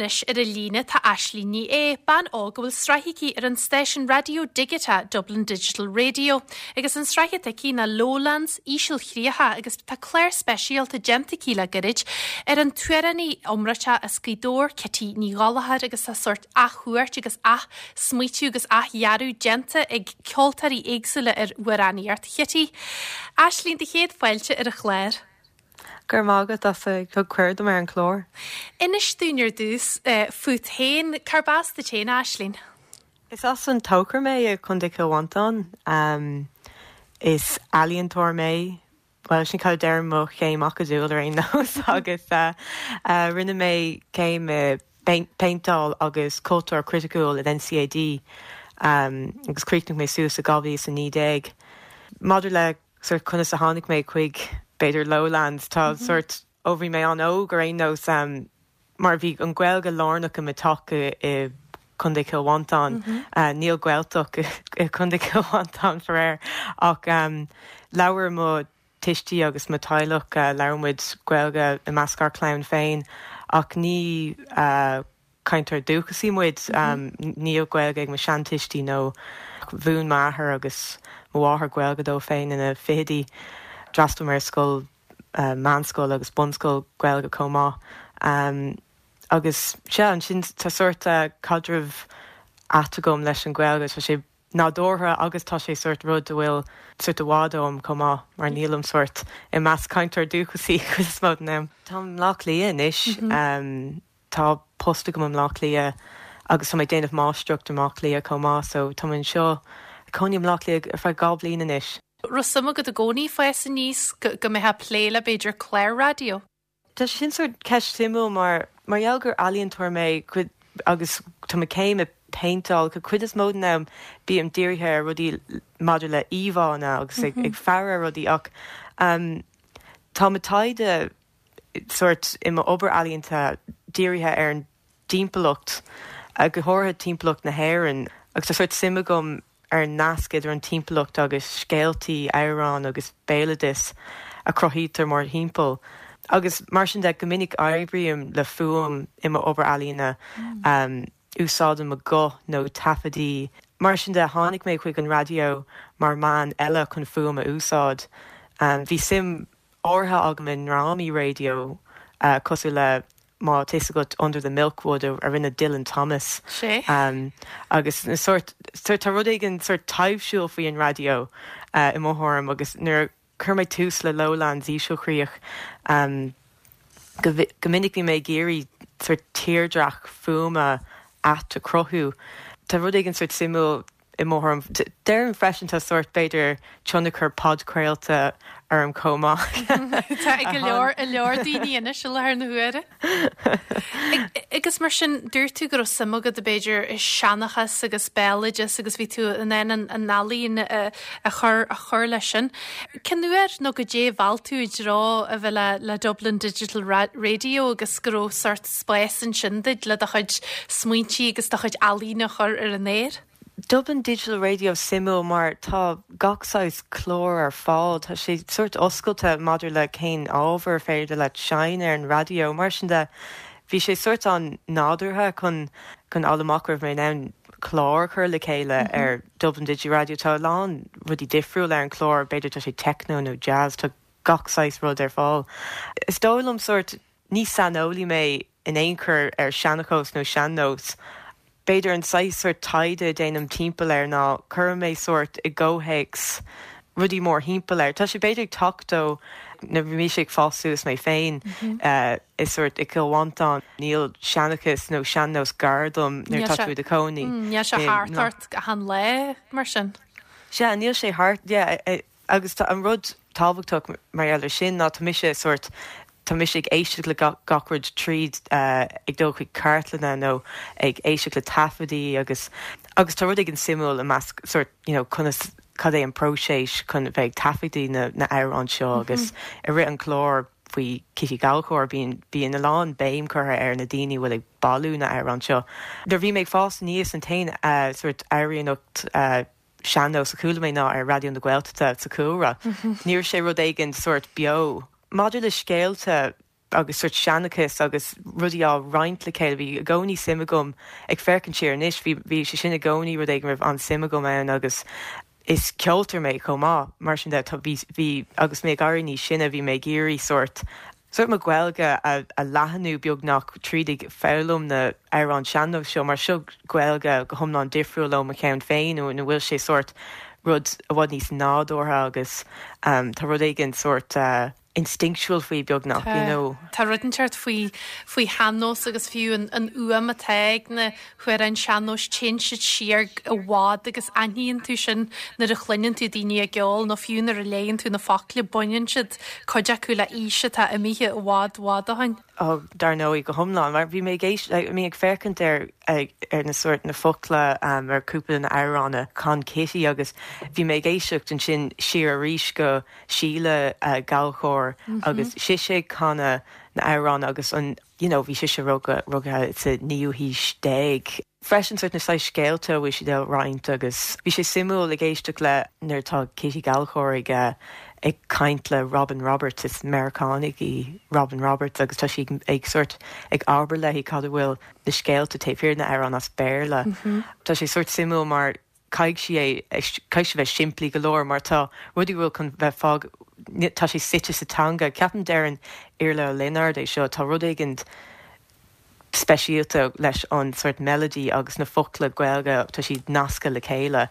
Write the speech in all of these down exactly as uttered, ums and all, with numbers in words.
anois ar an líne tá Aislinn Ní É, bean óg a bhfuil sraith aici ar an stáisiún raidió digiteach Dublin Digital Radio. Agus an sraith atá aici ná Lowlands Ísealchríocha agus tá clár speisialta déanta aici le gairid ar an t-amhránaí iomráiteach as Gaoth Dobhair Kitty Ní Ghallchóir agus tá sórt athchuairt agus athsmaoitiú agus athdhearadh déanta ag ceoltóirí éagsúla ar amhránaíocht Chitty. Aislinn do chéad fáilte ar an chlár. Gur mágad as a thug cuireadh ar an chlár. Inis dúinn ar dtús uh, fút féin cárb as duit féin Aislinn. Is as an Tóchar mé i Contae Chill Mhantáin um, is ealaíontóir mé well sin cad deir mo chéim acadúil ar aon nós agus uh, uh, rinne mé céim uh, péinteáil agus cultúr criticiúil in NCAD um, agus chríochnaigh mé suas i dhá mhíle a naoi déag. Maidir le sort conas a tháinig mé chuig b'fhéidir Lowlands tá mm -hmm. sort ó bhí mé an-óg ar aon nós um, mar bhí an Ghaeilge lárnach i mo theach i Contae Chill Mhantáin mm -hmm. uh, níl Gaeltacht i Contae Chill Mhantáin faraor ach um, labhair mo thuistí agus mo theaghlach uh, labhair muid Gaeilge i measc ár clann féin ach ní uh, cainteoir dúchasach muid mm -hmm. um, níl Gaeilge ag mo sheantuistí nó mhúin m'athair agus mo mháthair Gaeilge dóibh féin ina fichidí. D'fhreastail mé ar scoil uh, meánscoil agus bunscoil Gaeilge chomh maith. Um, agus sé ansin tá sort uh, caidreamh ait agam leis an Ghaeilge tá sé nádúrtha agus tá sé sort rud a bhfuil sort i bhfad uaim chomh maith mar nílim sort i measc cainteoir dúchasach chuid is mó den am. Tá Bleá Cliath anois mm -hmm. um, tá post agam i mBleá Cliath agus tá mé déanamh máistreacht i mBleá Cliath chomh maith so tá anseo cónaí i mBleá Cliath ar feadh dhá bhliain anois. Raibh suim agat i gcónaí ag fás aníos go mbeifeá ag plé le b'fhéidir clár raidió. Tá sin sort ceist suimiúil mar mar gheall gur ealaíontóir mé agus tá mo chéim i péinteáil go cuid is mó den am bím dírithe ar rudaí maidir le íomhánna agus ag, mm -hmm. ag faire rudaí ach um, tá mo taighde sort i m'obair ealaíonta dírithe ar an timpeallacht go háirithe timpeallacht na hÉireann agus tá sort suim agam ar nasc idir an timpeallacht agus scéaltaí amhrán agus béaloideas a chruthaítear mórthimpeall. Agus mar sin de go minic oibrím le fuaim i m'obair ealaíne mm. um, úsáidim mo ghuth nó taifeadtaí. Mar sin de tháinig mé chuig an raidió mar mheán eile chun fuaim a úsáid. Um, bhí suim áirithe agam i ndrámaí raidió uh, cosúil le má tá agat Under the Milkwood a rinne Dylan Thomas. Um, agus na sort sort tá rud éigin sort taibhsiúil faoi an raidió uh, i mo thuairim agus nuair chuir mé tús le Lowlands Ísealchríoch um, go, go minic bhí mé ag iarraidh sort tírdhreach fuaime ait a chruthú. Tá rud éigin sort suimiúil i mo thuairim Déarfainn freisin tá sort b'fhéidir tionchar podchraolta orm chomh maith. Tá ag go leor a leor daoine anois i láthair na huaire. Agus mar sin dúirt tú go raibh suim agat b'fhéidir i seanchas agus béaloideas agus bhí tú in ann an ealaín a chur a chur leis sin. Cén uair nó goidé a mheall tú i dtreo a bheith le le Dublin Digital Radio agus go raibh sort spás ansin duit le do chuid smaointe agus do chuid ealaín a chur ar an aer? Dublin Digital Radio suimiúil mar tá gach saghas clár ar fáil Tá sé sort oscailte maidir le cén ábhar féidir le seinnt ar an raidió mar sin de bhí sé sort an nádúrtha chun chun amach raibh mé in ann clár chur le chéile mm -hmm. ar Dublin Digital Radio tá lán rudaí difriúil ar an chlár b'fhéidir tá sé techno nó jazz tá gach saghas rud ar fáil. Is dóigh liom sort ní saineolaí mé in aon chor ar seanchas nó sean-nós. B'fhéidir an saghas sort taighde déanaim timpeall air ná cuirim mé sort i gcomhthéacs rudaí mórthimpeall air. Tá sé b'fhéidir teacht ó nuair bhí mise ag fás suas mé féin mm -hmm. uh, is sort i Cill Mhantáin níl seanchas nó sean-nós gar dom nuair tá tú i do chónaí. Níl sé thart ort achan lá mar sin. Sea níl sé thart yeah, agus tá an rud tábhachtach mar eile sin ná tá mise sort tá mise ag éisteacht le gach rud tríd uh, ag dul chuig cartlanna nó ag éisteacht le taifeadtaí agus agus tá rud éigin suimiúil i measc sort you know, conas cad é an próiseas chun bheith taifeadtaí na na amhráin seo agus mm -hmm. i rith an chlár faoi Kitty Gallchóir bíonn bíonn a lán béim curtha ar na daoine bhfuil ag bailiú na amhrán seo. Nuair bhí mé ag fás aníos an t-aon uh, sort amhránaíocht uh, sean-nós a chuala mé ná ar Raidió na Gaeltachta sa chúlra. Mm -hmm. Níor sé rud éigin sort beo. Maidir le scéalta agus sort seanchas agus rudaí á roinnt le chéile bhí i gcónaí suim agam ag féachaint siar anois bhí bhí sé sin i gcónaí rud éigin raibh an-suim agam ann agus is ceoltóir mé chomh maith mar sin de tá bhí bhí agus mé ag éirí níos sine bhí mé ag iarraidh sort sort mo Ghaeilge a, a leathnú beagnach tríd ag foghlaim na hamhráin sean-nós seo mar seo Gaeilge go hiomlán difriúil ó mo cheann féin nó ina bhfuil sé sort rud i bhfad níos nádúrtha agus um, tá rud éigin sort uh, instinctual faoi beagnach you know. Tá rud inteacht faoi faoi shean-nós agus fiú an, an fhuaim atá ag na hamhráin sean-nóis téann siad siar i bhfad agus aithníonn tú sin nuair a chluineann tú daoine ag ceol nó fiú nuair a léann tú na focla baineann siad cuid acu le haois atá imithe i bhfad bhfad ó shin. Oh, dar ndóigh go hiomlán mar bhí mé ag mé ag féachaint ar ar na sort na focla um, ar cúpla na hamhráin a chan Kitty agus bhí mé ag éisteacht ansin siar arís go Síle uh, Gallchóir mm -hmm. agus sise ag canadh na hamhráin agus an you know, bhí sise rugadh rugadh sa naoú haois déag. Freisin sort na saghas scéalta bhí siad á roinnt agus bhí sé suimiúil ag éisteacht le nuair atá Kitty Gallchóir ag uh, ag caint le Robin Roberts is Meiriceánach í Robin Roberts agus tá sí ag sort ag abair léi cad a bhfuil na scéalta taobh thiar na hamhráin as Béarla. Mm -hmm. Tá sé sort suimiúil mar caithfidh sí é caithfidh sé bheith simplí go leor mar tá rudaí bhfuil chun bheith fág tá sé suite sa teanga ceapaim deireann Iarla Ó Lionáird é seo tá rud éigin speisialta leis an sort melody agus na focla Gaeilge tá siad nasctha le chéile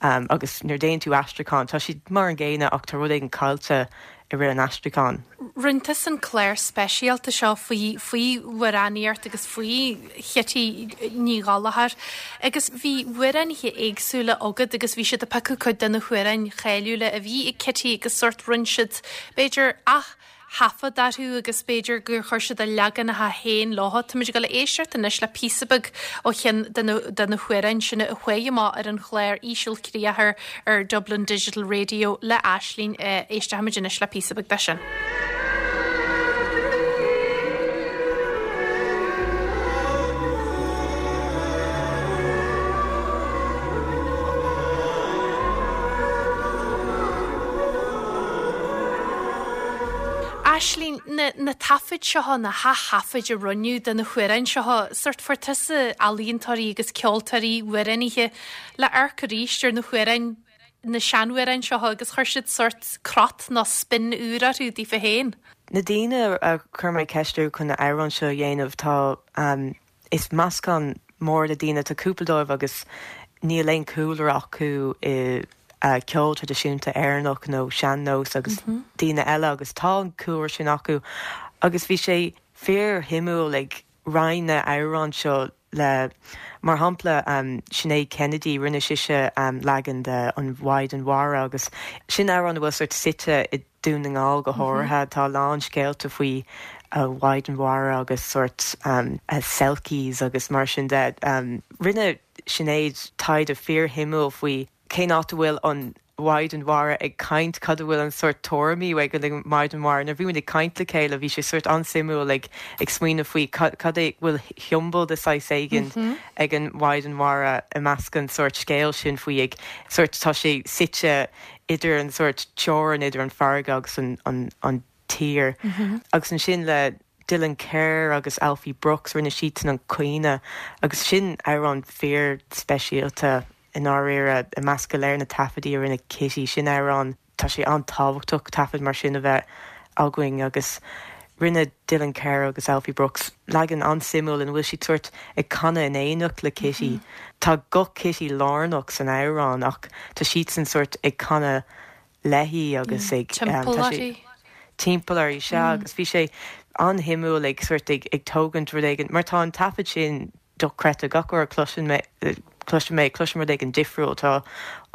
um, agus nuair a dhéanann tú aistriúchán tá siad mar an gcéanna ach tá rud éigin caillte i rith an aistriúcháin. Rinne tusa an clár speisialta seo faoi faoi amhránaíocht agus faoi Chití Ní Ghallchóir agus bhí amhránaithe éagsúla agat agus bhí siad ag piocadh cuid de na hamhráin cháiliúla a bhí ag Kitty agus sort rinne siad b'fhéidir ach thaifead orthu agus b'fhéidir gur chuir siad a leaganacha féin leo. Táimid ag dul a éisteacht anois le píosa beag ó cheann de na hamhráin sin a chuaigh amach ar an chlár Ísilchríocha ar Dublin Digital Radio le Aisling éistfimid anois le píosa beag de sin. Aisling na, na taifid seo na hath-thaifid a rinneadh de na hamhráin seo sort fuair tusa ealaíontóirí agus ceoltóirí amhránaithe le amharc arís ar na hamhráin na seanamhráin seo agus chuir siad sort crot nó spin úr orthu daofa féin. Na daoine a chuir mé ceist orthu chun na hamhráin seo a dhéanamh tá um, is meascán mór de daoine tá cúpla dóibh agus níl aon cúlra acu i uh, ceol traidisiúnta Éireannach nó sean-nós agus mm -hmm. daoine eile agus tá an cúlra sin acu agus bhí sé fíorshuimiúil ag roinnt na hamhráin seo le mar shampla um, Sinéad Kennedy rinne sise um, leagan de an Mhaighdean Mhara agus sin amhrán bhfuil sort suite i Dún na nGall go háirithe mm -hmm. tá lán scéalta faoi a Mhaighdean Mhara agus sort um, a selkies agus mar sin de um, rinne Sinéad taighde fíorshuimiúil faoi cén áit a bhfuil an Mhaighdean Mhara ag caint cad a bhfuil an sort tuairimí ag an Mhaighdean Mhara na bhí ag caint le chéile bhí sé sort an-suimiúil ag ag smaoineamh faoi cad é bhfuil siombail de saghas éigin mm -hmm. ag an Mhaighdean Mhara i measc an sort scéal sin faoi ag sort tá sé suite idir an sort teorainn idir an fharraige agus an, an, an tír mm -hmm. agus ansin le Dylan Kerr agus Alfie Brooks rinne siad an Caoineadh agus sin amhrán fíorspeisialta i ndáiríre i measc go léir na taifeadtaí a rinne Kitty sin amhrán tá sé an-tábhachtach taifead mar sin a bheith againn agus rinne Dylan Kerr agus Alfie Brooks leagan an-suimiúil ina bhfuil siad sort ag canadh in éineacht le Kitty. Mm -hmm. Tá guth Kitty lárnach san amhrán ach tá siadsan sort ag canadh léi agus ag timpeall uirthi sea mm. agus bhí sé an-suimiúil ag sort ag ag tógaint rud éigin mar tá an taifead sin dochreidte gach uair a chloiseann mé cloisim mé cloisim rud éigin difriúil tá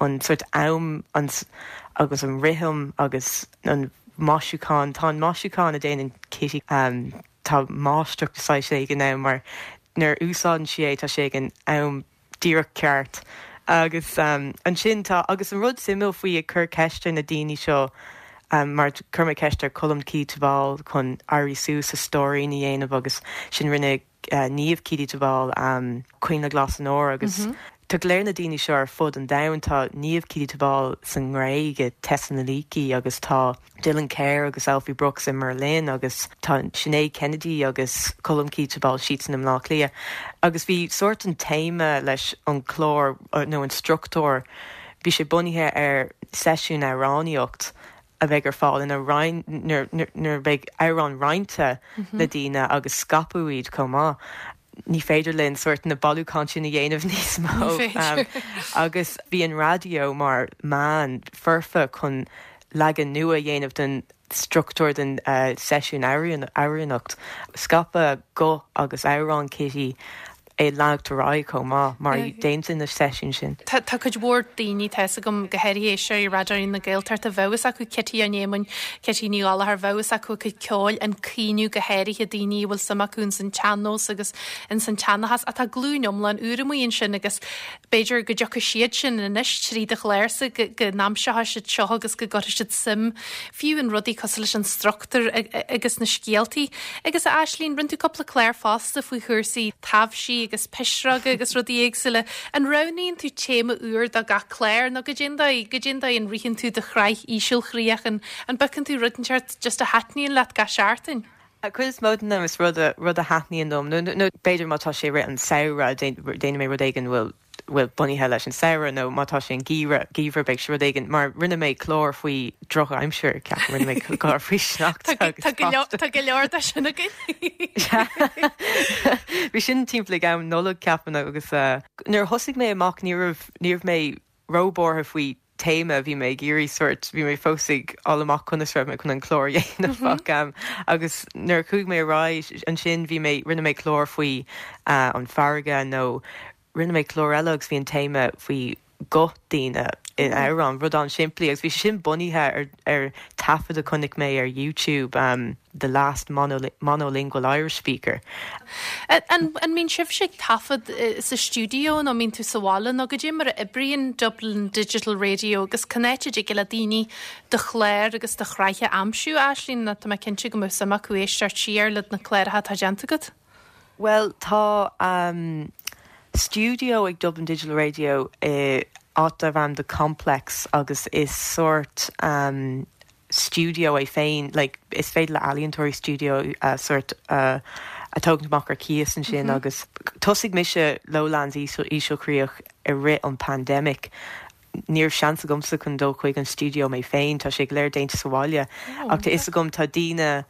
an sort am an agus an rithim agus an maisiúchán tá an maisiúchán a déanann Kitty um, tá máistreacht saghas éigin ann mar nuair úsáideann sí é tá sé ag an am díreach ceart agus um, ansin tá agus an rud suimiúil faoi ag cur ceist ar na daoine seo um, mar chuir mé ceist ar Colm Keady-Tobáil chun éirí suas a stóirín a dhéanamh agus sin rinne uh, Niamh Keady-Tobáil um, Coinnle Glas an Óir agus mm -hmm. Tá go léir na daoine seo ar fud an domhain tá Niamh Keady-Tobal san nGréig i Thessaloniki agus tá Dylan Kerr agus Alfie Brooks i mBerlin agus tá Sinéad Kennedy agus Colm Keady-Tobal siadsan i mBleá Cliath. Agus bhí sort an téama leis an chlár nó an struchtúr, bhí sé bunaithe ar seisiún amhránaíocht a bheidh ar fáil ina nuair bheidh amhrán roinnte le daoine agus scaipeadh iad chomh maith. Ní féidir linn sort na bailiúcháin sin a dhéanamh níos mó um, agus bhí an raidió mar meán foirfe chun leagan nua a dhéanamh den struchtúr den uh, seisiún amhránaíocht. Scaipeadh guth agus amhrán Kitty é leanacht ar aghaidh chomh maith mar déanta na seisiún sin. Tá cuid mhór daoine tá fhios agam go háirithe sé Raidió na Gaeltachta bheadh fhios acu Kitty an Éamoinn Kitty Ní Ghallchóir bheadh fhios acu cuid ceoil an caoineadh go háirithe daoine bhfuil suim acu in san tsean-nós agus in san tseanchas atá glúin iomlán úr amuigh ansin agus b'fhéidir go dtiocfaidh siad sin anois trí do chlársa go n-aimseoidh siad seo agus go gcuirfidh siad suim fiú in rudaí cosúil leis an struchtúr agus na scéaltaí. Agus a Aislinn rinne tú cúpla clár fosta faoi chúrsaí taibhsí agus pisreoga agus rudaí éagsúla. An roghnaíonn tú téama úr do gach clár nó goidé an dóigh goidé an dóigh an ritheann tú do shraith Ísealchríoch an an bpiocann tú rud inteacht just a thaitníonn leat gach seachtain. A cuid is mó den am is rud a rud a thaitníonn dom nó b'fhéidir má tá sé rith an samhradh déanfaidh mé rud éigin bhfuil bhfuil bunaithe leis an samhradh nó má tá sé an geimhreadh geimhreadh beidh sé rud éigin mar rinne mé clár faoi drochaimsir ceapaim rinne mé clár faoi sneachta Tá go leor de sin againn. Bhí sin timpeall ag am Nollag ceapaim agus uh, nuair thosaigh mé amach ní raibh ní raibh mé róbhuartha faoi téama bhí mé ag iarraidh sort bhí mé fós ag fáil amach conas raibh mé chun an clár dhéanamh mm um, agus nuair chuaigh mé ar aghaidh ansin bhí mé rinne mé clár faoi uh, an farraige nó rinne mé clár eile agus bhí an téama faoi guth daoine in amhrán rud an-simplí agus bhí sin bunaithe ar ar taifead a chonaic mé ar YouTube um, the last monol monolingual Irish speaker. An an mbíonn sibhse ag taifead sa stiúideo nó mbíonn tú sa bhaile nó goidé mar a oibríonn Dublin Digital Radio agus cá háit a dtig le daoine do chlár agus do shraith a aimsiú Aislinn na tá mé cinnte go mbeadh suim acu éisteacht siar le na cláracha atá déanta agat? Well tá um, studio ag Dublin Digital Radio i áit darb ainm The Complex agus is sort um, studio é féin like, is féidir le ealaíontóirí studio uh, sort uh, a tógaint amach ar cíos ansin mm -hmm. agus thosaigh mise Lowlands Ísealchríoch i rith an pandemic. Ní raibh seans agamsa chun dul chuig an studio mé féin tá sé go léir déanta sa bhaile oh, ach tá fhios agam tá daoine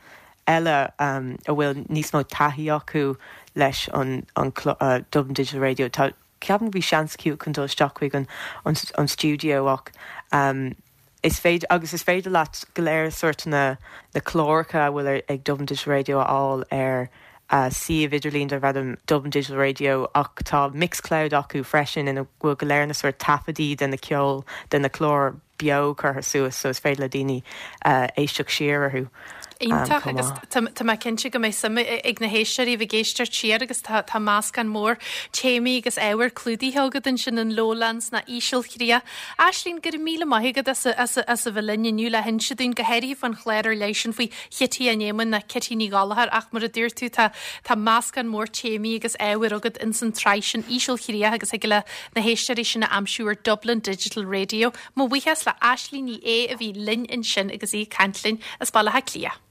eile um, a bhfuil níos mó taithí acu leis an, an uh, Dublin Digital Radio tá ceapaim bhí seans acu chun dul isteach chuig an, an, an studio ach um, is féidir agus is féidir leat go léir sort na na cláracha a bhfuil ag Dublin Digital Radio a fháil ar uh, suíomh idirlín darb ainm Dublin Digital Radio ach tá Mixcloud acu freisin ina bhfuil go léir na sort taifeadtaí den na ceol den na clár beo curtha suas so is féidir le daoine uh, éisteacht siar orthu. Iontach agus tá mé cinnte go mbeidh suim ag na héisteoirí bheith ag éisteacht siar agus tá tá meascán mór téamaí agus ábhar clúdaithe agat ansin in Lowlands na Ísealchríocha. Aislinn go raibh míle maith agat as as as a bheith linn inniu le hinse dúinn go háirithe faoin chlár ar leith sin faoi Chití an Éamoinn na Kitty Ní Ghallchóir ach mar a dúirt tú tá tá meascán mór téamaí agus ábhar agat in san tsraith sin Ísealchríocha agus thig le na héisteoirí sin a aimsiú ar Dublin Digital Radio. Mo bhuíochas le Aislinn Ní Aodha a bhí linn ansin agus í ag caint linn as Baile Átha Cliath.